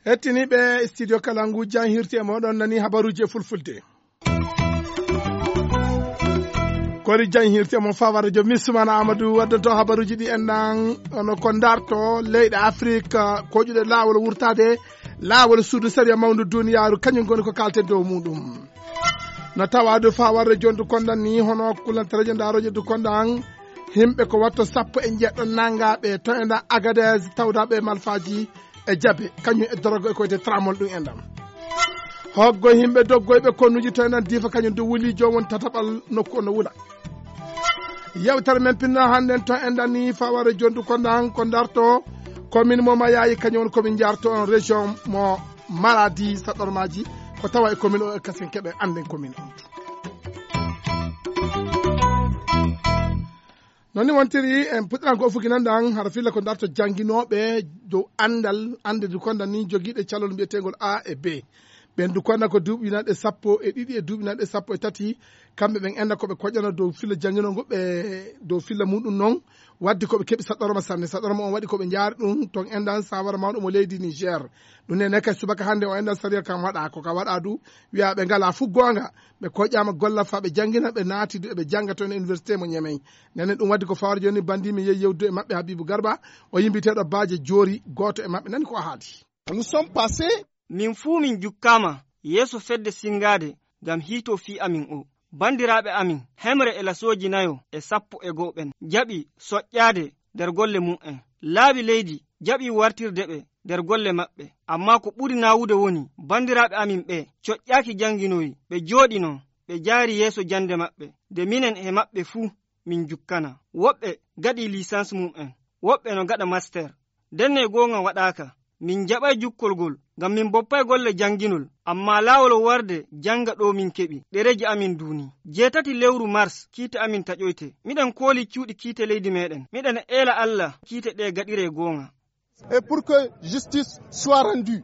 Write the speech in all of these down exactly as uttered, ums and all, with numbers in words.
Hettiniiɓe studio Kalangu, jan hirti e moɗon nani habaruuji e fulfulde. Kori jan hirti e mon fawara jo Misumana Amadou waddanto habaruuji ɗi en ɗan, ono ko darto leyɗe Afrique koƴuɗe laawol wurtaade laawol suudu sariya mawndu duniyaaru, kañum ngoni ko kalten dow muɗum. No tawa du fawara jondu kondan ni hono kulantareje ndaroje du kondan, himɓe ko watto sappo e njeɗɗo nangaaɓe to e nda Agadez tawdaɓe e malfaaji e jabe, kañum e dorogo e koyde tramol ɗum en ɗam. Hoggo himɓe doggoyɓe konnuji to en ɗan diifa kañum du wuli joomum tataɓal nokku on no wula. Yewtere men pinna hannden to en ɗan ni fawara jondu kondan ko darto commune mo Mayayi, kañum on commune jarto on région mo Maradi, saɗɗormaji ko tawa e commune o e kasen keɓe annden commune on. Noon ni wontiri en puɗɗiran ko fuki nan ɗan hara filla ko darto jannginooɓe dow anndal, annde du konda ni jogiiɗe calol mbiyeteengol A e B. Ɓen du konda ko duuɓi nanɗe sappo e ɗiɗi e duuɓi nanɗe sappo e tati, kamɓe ɓen enda ko ɓe koƴano dow filla jannginol ngol ɓe dow filla muɗum noon. Waddi ko ɓe keɓi saɗɗorma sanne, saɗɗorma on waɗi ko ɓe njaari ɗum toon endan sawara mawɗo mo leydi Niger. Ɗum ne neka subaka hannde o endan sariya kan waɗa ko ka waɗa du, wiya ɓe ngala fu goonga. Ɓe koƴama golla fa ɓe janngina, ɓe naati du eɓe jannga toon e université mo Ñemey. Nene ɗum waddi ko fawar jooni bandi mi yehi yewdude e maɓɓe Habibu Garba, o yimbiteɗo baaje joori gooto e maɓɓe nani ko o haali. Nous sommes passés. Min fuu min jukkaama yeeso fedde sinngaade ngam hiito fii amin o. Banndiraaɓe amin, hemre e lasooji nayo e sappo e go'o ɓen, jaɓi soƴƴaade nder golle mum'en. Laabi leydi jaɓi wartirde ɓe nder golle maɓɓe. Ammaa ko ɓuri naawude woni, banndiraaɓe amin ɓee coƴƴaaki jannginoyi, ɓe jooɗi non, ɓe jaari yeeso jannde maɓɓe, nde minen e maɓɓe fuu min njukkana. Woɓɓe gaɗii liisans mum'en, woɓɓe no gaɗa master. Ndenne goonga waɗaaka. Min njaɓay jukkol ngol, ngam min boppay golle jannginol, ammaa laawol warde jannga ɗo min keɓi. Ɗereeji amin duuni. Jeetati lewru mars, kiite amin taƴoyte. Miɗen kooli cuuɗi kiite leydi meɗen. Miɗen eela Alla kiite ɗe gaɗire goonga. Et pour que justice soit rendue.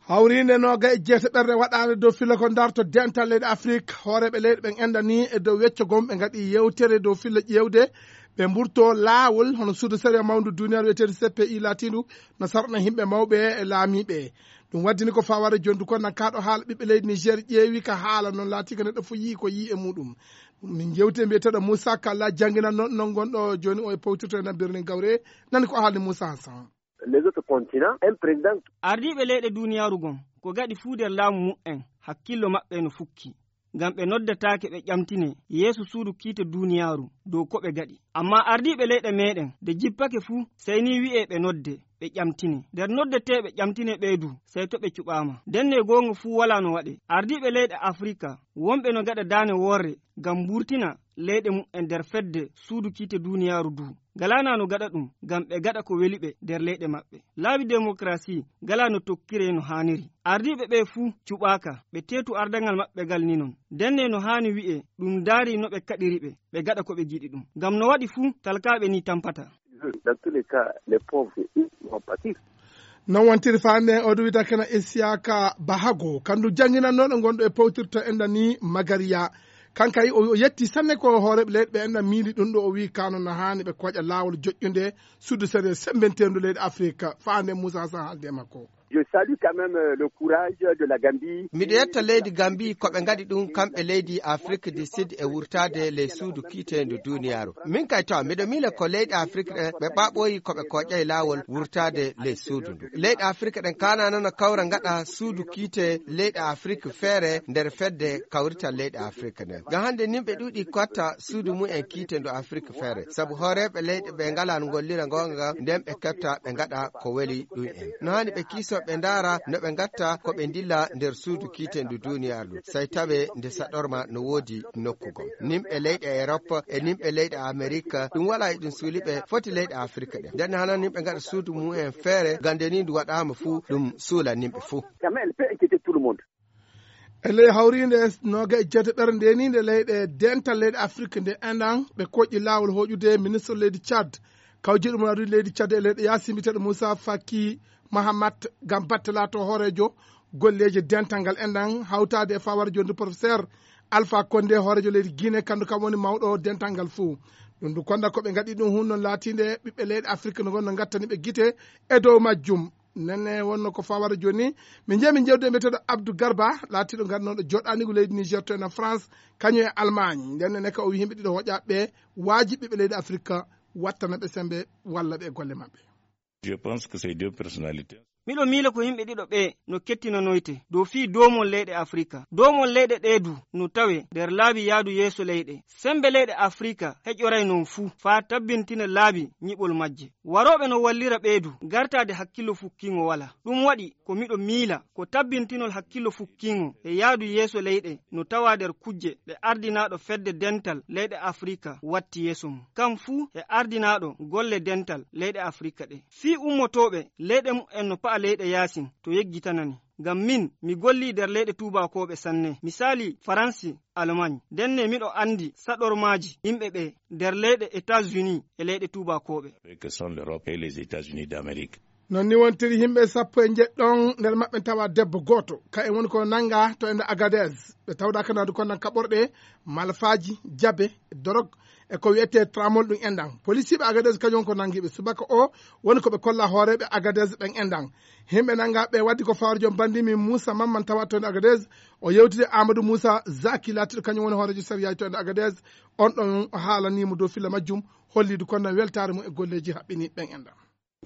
Hawriinde noga e jeeta ɓerde waɗaande dow filla ko darto dental leyɗe Afrik, hooreeɓe leyɗe ɓen endani e dow wecco gom ɓe ngaɗi yewtere dow filla ƴeewde ɓe mburto laawol hono suudu sariya mawndu duniyaaru wiyeteedu C P I laatiindu no sarɗana yimɓe mawɓe e laamiiɓe. Ɗum waddini ko faware jondu ko nan kaaɗo haala ɓiɓɓe leydi Niger ƴeewi ka haala noon laatii ko neɗɗo fof yii ko yii e muɗum. Min jewti e mbiyeteeɗo Moussa Kalla jannginanno non gonɗo jooni o e powtirto e nan Birnin Gawre, nani ko haalni Moussa Hassan. Les autres continents, un président. Ardiiɓe leyɗe duniyaaru gon ko gaɗi fuu nder laamu muɓɓen hakkillo maɓɓe no fukki. Ngam ɓe noddataake ɓe ƴamtine yeeso suudu kiite duniyaaru dow ko ɓe gaɗi. Ammaa ardiiɓe leyɗe meɗen de jippake fuu sey ni wi'e ɓe nodde ɓe ƴamtine. Nder noddeteeɓe ƴamtine ɓee du sey to ɓe cuɓaama. Ndenne goonga fuu walaa no waɗe. Ardiiɓe leyɗe Afrika wonɓe no gaɗa daane worre ngam mburtina leyɗe muɓɓen nder fedde suudu kiite duniyaaru du. Ngalaa na no gaɗa ɗum ngam ɓe gaɗa ko weli ɓe nder leyɗe maɓɓe. Laabi demokrasi ngalaa no tokkire no haaniri. Ardiiɓe ɓee fuu cuɓaaka, ɓe teetu ardangal maɓɓe ngal ni non. Ndenne no haani wi'e ɗum ndaari no ɓe kaɗiri ɓe, ɓe gaɗa ko ɓe giɗi ɗum. Ngam no waɗi fuu talkaaɓe ni tampata. Dans tous les cas, les pauvres vont pâtir. Non wontiri faande o ɗum wiyata kena Isiyaka Bahago, kandu jannginannooɗo gonɗo e powtirto enda ni Magariya. Kanka o yetti sanne ko hooreeɓe leyɗe ɓe enda miili ɗum ɗo o wii kano na haani ɓe koƴa laawol joƴƴunde suudu sere sembenteeru leyɗe Afrika. Faande Moussa Hassan haalde e makko. Je salue quand même, euh, le courage de la Gambie. Miɗo yetta leydi Gambi ko ɓe ngaɗi ɗum kamɓe leydi Afrique du Sud e wurtaade ley suudu kiiteendu duniyaaru. Min kay taw miɗo miila ko leyɗe Afrique ɗe ɓe ɓaɓɓoyi ko ɓe koƴƴay laawol wurtaade ley suudu ndu. Leyɗe Afrique ɗen kaanano no kawra ngaɗa suudu kiite leyɗe Afrique feere nder fedde kawrital leyɗe Afrique nden. Ngam hannde nimɓe ɗuuɗi kotta suudu mum en kiite ndu Afrique feere. Sabu hooreeɓe leyɗe ɓe ngalaa no ngollira ngoonga nden ɓe ketta ɓe ngaɗa ko weli ɗum en. No haani ɓe kiiso ɓe ndaara no ɓe ngatta ko ɓe ndilla nder suudu kiite ndu duniyaaru ndu. Sey tawe nde saɗorma no woodi nokku gom. Nimɓe leyɗe Europe e nimɓe leyɗe Amerique ɗum walaa e ɗum suuli ɓe foti leyɗe Afrique ɗen. Nden hana nimɓe ngaɗa suudu mum en feere gande ni ndu waɗaama fuu ɗum suula nimɓe fuu. Quand même, elle peut inquiéter tout le monde. E ley hawriinde nooga e jeetaɓere ndeniinde leyɗe dental leyɗe Afrique nde endan ɓe koƴƴi laawol hoƴude ministre leydi Tchad. Kawjiɗo mum adude leydi Tchad e leyɗe yaasi mbiyeteeɗo Moussa Faki Mahamat ngam batte laato hooreejo golleeji dental ngal enɗan, hawtaade e fawaare jondu professeur Alpha Condé, hooreejo leydi Guinée, kandu kam woni mawɗo dental ngal fuu. Ɗum du konda ko ɓe ngaɗi ɗum hun noon laatiinde ɓiɓɓe leyɗe Afirka no ngonno ngattani ɓe gite e dow majjum. Nene wonno ko fawaare jooni, min njehi min jewde e mbiyeteeɗo Abdou Garba, laatiiɗo ngarnooɗo joɗaanigu leydi Niger to ena France, kañum e Allemagne. Nden nene ka o wi yimɓe ɗiɗo hoƴaaɓe ɓe, waaji ɓiɓɓe leydi Afirka wattana ɓe sembe walla ɓe e golle maɓɓe. Je pense que ces deux personnalités. Miɗo miila ko yimɓe ɗiɗo ɓe no kettinanoyte dow fii doomol leyɗe Afirka. Doomol leyɗe ɗee du no tawee nder laabi yaadu yeeso leyɗe. Sembe leyɗe Afirka heƴoray non fuu faa tabbintina laabi ñiɓol majje. Warooɓe no wallira ɓee du gartaade hakkillo fukkiiŋo walaa. Ɗum waɗi ko miɗo miila ko tabbintinol hakkillo fukkiiŋo e yaadu yeeso leyɗe no tawaa nder kujje ɗe ardinaaɗo fedde dental leyɗe Afirka watti yeeso mum. Kam fuu e ardinaaɗo golle dental leyɗe Afirka ɗe. Fii ummotooɓe leyɗe mu'en no pa'a leyɗe yaasin to yeggitanani. Ngam min, mi gollii nder leyɗe tuubaakooɓe sanne. Misaali, Faransi, Allemagne. Ndenne miɗo anndi saɗormaaji yimɓe ɓe nder leyɗe États-Unis e leyɗe tuubaakooɓe. Que sont l'Europe et les États-Unis d'Amérique. Non ni wontiri, yimɓe sappo e njeɗɗon nder maɓɓe tawa debbo gooto. Ka en woni ko nannga to ende Agadez. Ɓe tawdaaka naadu kon nan kaɓorɗe, malfaaji, jabe, dorog, e ko wiyetee tramol ɗum enɗan. Polisiiɓe Agadez kañum ko nanngi ɓe subaka o woni ko ɓe kolla hooreeɓe Agadez ɓen enɗan. Yimɓe nannga ɓe waddi ko fawaare joom banndi min Moussa Mamman tawa to ende Agadez. O yewtide Amadou Moussa Zaki laatiiɗo kañum woni hooreejo sariyaaji to ende Agadez. On ɗon o haalanii mo dow filla majjum, holliidu kon nan weltaare mum e golleeji haɓɓiniiɗi ɓen enɗan.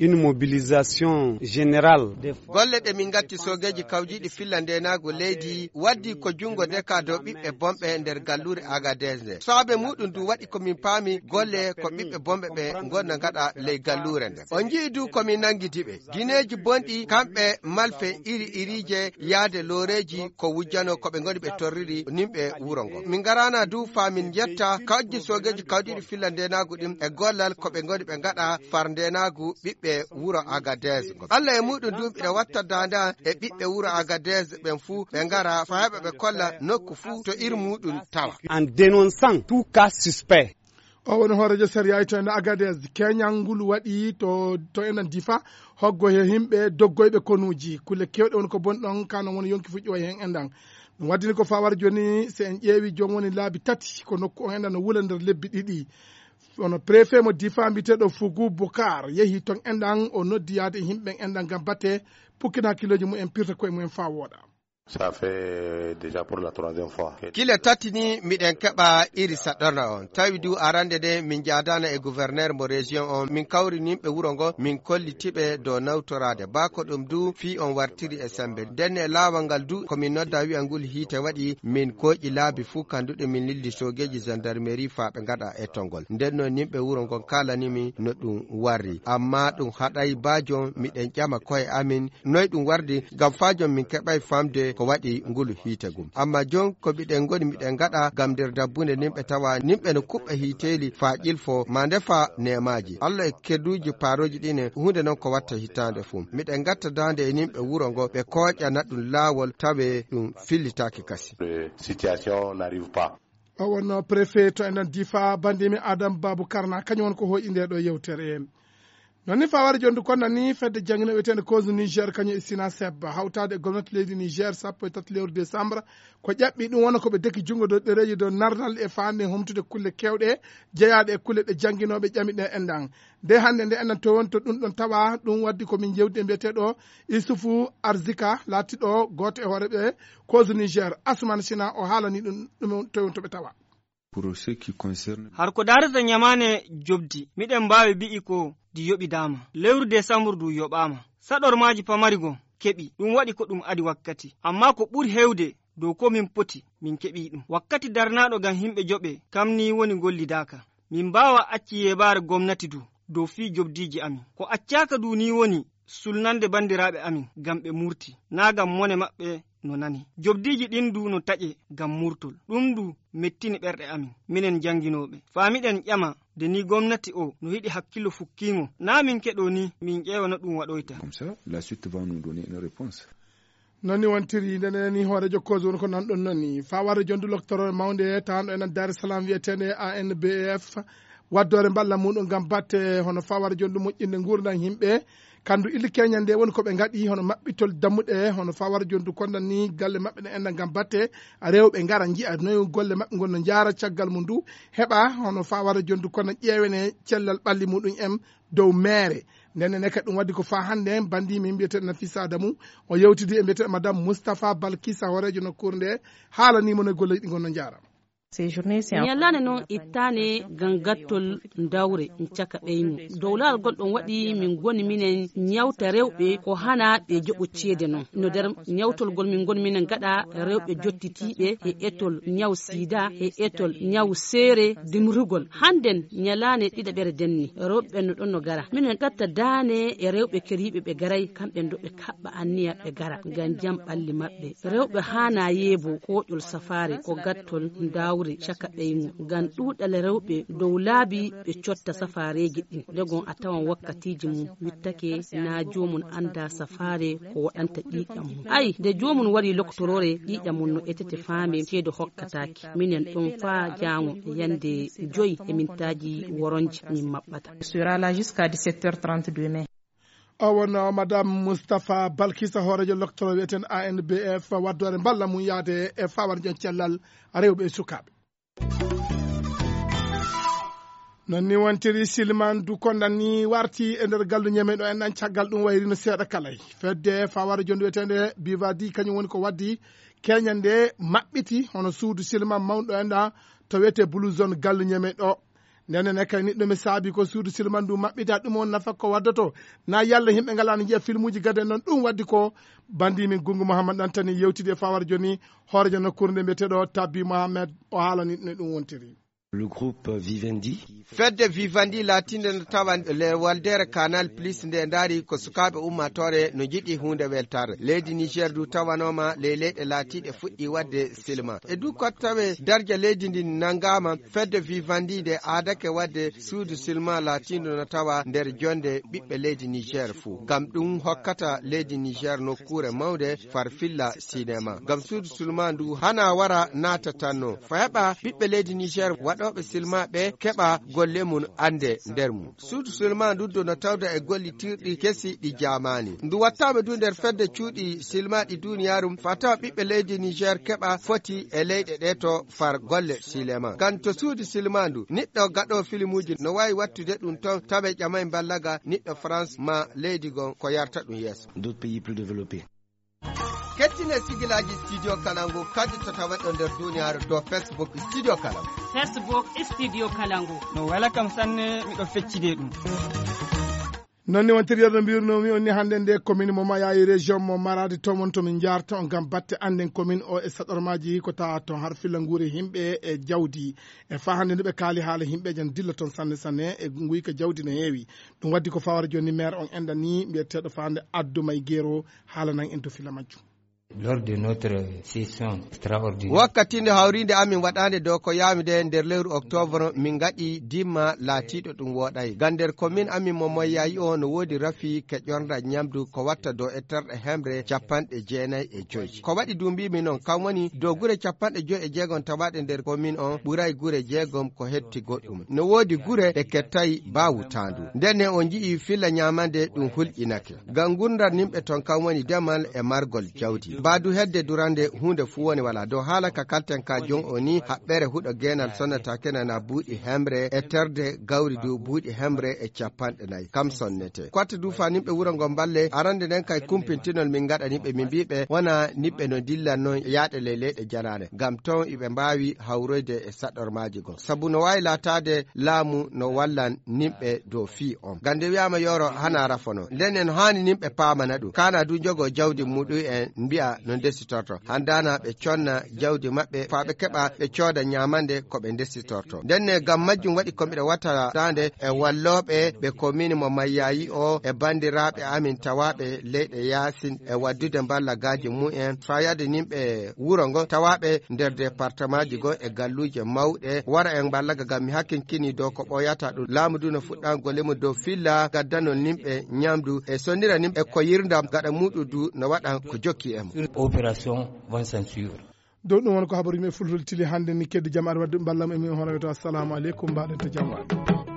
Une mobilisation générale des forces. Golle ɗe min ngatti soogeeji kawjiiɗi filla ndeenaagu leydi waddi ko junngo ndeka dow ɓiɓɓe bonɓe nder galluure Agadez nde. Saabe muuɗum du waɗi ko min paami golle ko ɓiɓɓe bonɓe ɓe ngonna ngaɗa ley galluure nde. On nji'i du ko min nanngidi ɓe. Gineeji bonɗi kamɓe malfe iri iriije yaade looreeji ko wujjano ko ɓe ngoni ɓe torriri nimɓe wuro ngo. Min ngaraana du faa min njetta kawji soogeeji kawdiiɗi filla ndeenaagu ɗin e gollal ko ɓe ngoni ɓe ngaɗa far ndeenaagu ɓiɓɓe wuro Agadez ngo. Allah e muuɗum du mbiɗa watta daande e ɓiɓɓe wuro Agadez ɓen fuu ɓe ngara faa heɓa ɓe kolla nokku fuu to iri muuɗum tawa. En dénonçant tout cas suspect. O woni hooreejo sariyaaji to ene Agadez. Keñal ngul waɗi to, to enen Difa, hoggo he yimɓe doggoyɓe konuuji. Kulle keewɗe woni ko boni ɗon, ka non woni yonki fuɗɗi o heen enɗan. Ɗum waddini ko fawar jooni, so en ƴeewi joom woni laabi tati, ko nokku on enɗan no wula nder lebbi ɗiɗi. Kono préfet mo Difa mbiyeteeɗo Fugu Bukar yehi ton enɗan, o noddi yaade e yimɓe ɓen enɗan ngam batte pukkina hakkillooji mumen, pirta koye mumen faa wooɗa. Ça fait déjà pour la troisième fois. Kile tati ni miɗen keɓa iri saɗɗorna on. Tawi du arande nde min njaadaana e gouverneur mo région on, min kawri nimɓe wuro ngo, min kolliti ɓe dow nawtoraade. Baa ko ɗum du fii on wartiri e sembe. Nden e laawol ngal du ko min nodda wi'a ngul hiite waɗi, min kooƴi laabi fuu kanduɗe min lildi soogeeji gendarmerie faa ɓe ngaɗa e tongol. Nden non nimɓe wuro ngon kaalani min no ɗum warri. Amma ɗum haɗay baa jon miɗen ƴama koye amin noy ɗum wardi, ngam faa jon min keɓay famde ko waɗi ngulu hiite gum. Amma jon ko miɗen ngoni miɗen ngaɗa ngam nder dabbunde nimɓe tawa nimɓe no kuɓɓa hiiteeli faa ƴilfo maa ndefa neemaaji. Allah e kedduuji paarooji ɗine huunde non ko watta hitaande fuu. Miɗen ngatta daande e nimɓe wuro ngo ɓe kooƴana ɗum laawol tawe ɗum fillitaaki kasi. Situation n'arrive pas. O wonno préfet to enen Difa, banndimi Adam Babu Karna, kañum woni ko hooƴi nde ɗo yewtere. Noon ni faware jondu kon nani fedde jannginooɓe wiyeteende Kozu Niger kañum e Sina Seb hawtaade e gomnati leydi Niger sappo e tati lewru décembre, ko ƴaɓɓi ɗum wona ko ɓe deki junngo dow ɗereeji dow nardal e faande humtude kulle keewɗe jeyaaɗe e kulle ɗe jannginooɓe ƴami ɗe enɗan. Nde hannde nde enɗan to woni to ɗum ɗon tawa ɗum waddi ko min jewdi e mbiyeteeɗo Isufu Arzika laatiɗo gooto e hooreeɓe Kozu Niger, Asuman Sina o haalani ɗum ɗum to woni to ɓe tawa. Pour ce qui concerne. Har ko daarata ñamaane jobdi, miɗen mbaawi bi'i ko di yoɓidaama. Lewru desambur du yoɓaama. Saɗormaaji pamari gon keɓi. Ɗum waɗi ko ɗum adi wakkati. Amma ko ɓuri heewde dow ko min poti, min keɓii ɗum. Wakkati darnaaɗo ngam yimɓe joɓe, kam nii woni ngollidaaka. Min mbaawa acci yeebaare gomnati du dow fii jobdiiji amin. Ko accaaka du nii woni sulnande banndiraaɓe amin ngam ɓe murti, naa ngam mone maɓɓe no nani. Jobdiiji ɗin du no taƴe ngam murtol. Ɗum du mettini ɓerɗe amin, minen jannginooɓe. Faa miɗen ƴama, de ni gomnati o no yiɗi hakkillo fukkiingo, naa min keɗoo ni min ƴeewa no ɗum waɗoyta. Comme ça, la suite va nous donner une réponse. Noon ni wontiri, nde nani hooreejo Kozu woni ko nanɗon noon ni. Faa warde jondu loktoro mawnde tawanɗo enen Dar es Salaam wiyeteende A N B F, waddoore mballa muɗum ngam batte hono faa warde jondu moƴƴinde nguurndam yimɓe, Kanndu illi keñal nde woni ko ɓe ngaɗi hono maɓɓitol dammuɗe, hono fawara jondu kondan ni galle maɓɓe ɗe enɗa ngam batte rewɓe ngara njiya noy golle maɓɓe ngon no njaara caggal mum ndu heɓa hono fawara jondu kondan ƴeewene cellal ɓalli muɗum en dow meere. Nden ne kadi ɗum waddi ko fa hannde en bandi min mbiyeteɗo Nafisa Adamu o yewtidi e mbiyeteɗo madame Moustapha Balkisa hooreejo nokkuure nde haalanimo no golleji ɗi ngon no njaara. Ñalaande noon ittaane ngam gattol dawre caka ɓeynu. Dow laawol gol ɗoon waɗi min ngoni minen ñawta rewɓe ko hana ɓe joɓo ceede noon. No nder ñawtol gol min ngoni minen ngaɗa rewɓe jottitiiɓe e etol ñaw sida, e etol ñaw seere dimrugol. Hannden ñalaande ɗiɗaɓere denni, rewɓe ɓen no ɗoon no gara. Minen gatta daane e rewɓe keriiɓe ɓe garay, kamɓe ɗo ɓe kaɓɓa anniya ɓe gara ngam jam ɓalli maɓɓe. Rewɓe haana yeebo kooƴol safaare ko gattol dawre caka ɓeynu ngam ɗuuɗal rewɓe dow laabi ɓe cotta safaareeji ɗin. Ndegon a tawan wakkatiiji mum wittake na joomum annda safaare ko waɗanta ƴiiƴam mum. Ay, nde joomum warii loktoroore ƴiiƴam mum no etete faame ceede hokkataake. Minen ɗon faa jaango yande joyi e mintaaji woronji min maɓɓata. Sera là jusqu'à dix-sept heures trente demain. O wonno madame Moustapha Balkisa hooreejo loktoro wiyeten A N B F waddoore mballa mum yaade e fawar jon cellal rewɓe e sukaaɓe. Non ni wontiri silman du kondan ni warti e nder gallu ñemeɗo en ɗan caggal ɗum wayrino seeɗa kalay fedde fawara jondu wiyetende bivadi kañum woni ko waddi keñande maɓɓiti hono suudu silman mawɗo en ɗan to wiyete blue zone gallu ñemeɗo. Ndenen e kay niɗɗo mi saabi ko suudu silman ndu maɓɓita ɗum on nafa ko waddoto na yalla yimɓe ngalano jiya filmuji gade noon ɗum waddi ko bandi min gungu mouhammad ɗantani yewtidi e fawar joni hoorejo nokkuure nde mbiyeteɗo tabbi mouhammad o haalani no ɗum wontiri. Le groupe vivendi. Fedde vivendi laatinde no tawa le waldere canal plus nde ndaari ko sukaaɓe ummatore no jiɗi huunde weltare leydi niger du tawanoma ley leyɗe laatiɗe fuɗɗi wadde silma e du kottawe darja leydi ndi nangama. Fedde vivendi nde aadake wadde suudu silma laatindo no tawa nder jonde ɓiɓɓe leydi niger fuu ngam ɗum hokkata leydi niger nokkuure mawnde farfilla sinema ngam suudu silma ndu hana wara naata tanno fa heɓa ɓiɓɓe leydi niger waɗooɓe silma ɓe keɓa golle mum annde nder mum. Suudu silma ndu do no tawda e gollitirɗi kesi ɗi jaamaani ndu wattaama du nder fedde cuuɗi silma ɗi duniyaaru fa tawa ɓiɓɓe leydi niger keɓa foti e leyɗe ɗe to far golle silema ngam to suudu silma ndu niɗɗo gaɗo filimuuji no waawi wattude ɗum ton tawe ƴamay mballaga niɗɗo france ma leydi gon ko yarta ɗum yeeso. D'autres pays plus développés. Kettine sigilaaji studio kalangu kadi to taweɗo nder duniyaaru dow facebook studio kalangu. Facebook studio kalangu. No wela kam sanne miɗo feccide ɗum. Non ni wontirde no mbirnomi on ni hannde nde commune mo mayayi région mo marade to mon to min jarta on ngam batte annden commune o e saɗormaji ko tawa ton har filla nguure yimɓe e jawdi e fa hannde nde ɓe kaali haala yimɓe jan dilla ton sanne sanne e nguyka jawdi no heewi. Ɗum waddi ko fawara joni maire on enɗan ni mbiyeteɗo fa hannde addu may gero haalanan en to filla majjum. Lors de notre session extraordinaire. Wakkati nde hawrinde amin waɗande dow ko yawmide nder lewru octobre min gaɗi dimma laatiɗo ɗum woɗay ga nder commune amin mo moyayi o no wodi rafi keƴorda ñamdu ko watta dow e terɗe hemre capanɗe jeenayi e joyi ko waɗi dumbimi noon kam woni dow gure capanɗe joyi e jeegom tawaɗe nder commune on ɓuray gure jeegom ko hetti goɗɗum no wodi gure ɗe kettay bawutandu ndenne o ji'i filla ñamande ɗum hulƴinake. Ngam ngurndam yimɓe ton kam woni demal e margol jawdi. Mbaadu hedde durande huunde fuu woni walaa. Dow haala ka kalten ka jon o ni, haɓɓere huɗo geenal sonnataake nana buuɗi hemre e terde gawri du buuɗi hemre e capanɗe nayi. Kam sonnete. Kwatta du fa yimɓe wuro ngo mballe, arande nden kay kumpintinol min ngaɗa yimɓe min mbiiɓe wona yimɓe no dillan non yaaɗe ley leyɗe janaane. Ngam ton iɓe mbaawi hawroyde e saɗormaaji goo. Sabu no waawi laataade laamu no wallan nimɓe dow fii on. Ngam nde wi'aama yooro hana rafono. Nden en haani nimɓe paamana ɗum. Kaana du njogoo jawdi muɗum en mbi'a no ndesitorto. Handaana ɓe conna jawdi maɓɓe faa ɓe keɓa ɓe cooda ñaamande ko ɓe ndesitorto. Ndenne ngam majjum waɗi ko miɗo wattataande e wallooɓe ɓe komiini mo Mayyaayi o e banndiraaɓe amin tawaaɓe leyɗe yaasin e waddude mballagaaji mumen faa yahde nimɓe wuro ngo tawaaɓe nder departemaaji goo e galluuje mawɗe wara en mballaga ngam mi hakkinkini dow ko ɓooyata ɗum. Laamu du no fuɗɗan golle mum dow filla gaddanol nimɓe ñamdu e sonnira nimɓe ko yirndam gaɗa muuɗum du no waɗan ko jokki e mum. Opération vont s'en suivre. Dow ɗum won ko habaruuji men fulfulde tili hannde ni keddi jam aɗa wadde mballa mum e min hono wiyata assalamu aleykum mbaɗen to jam waɗi.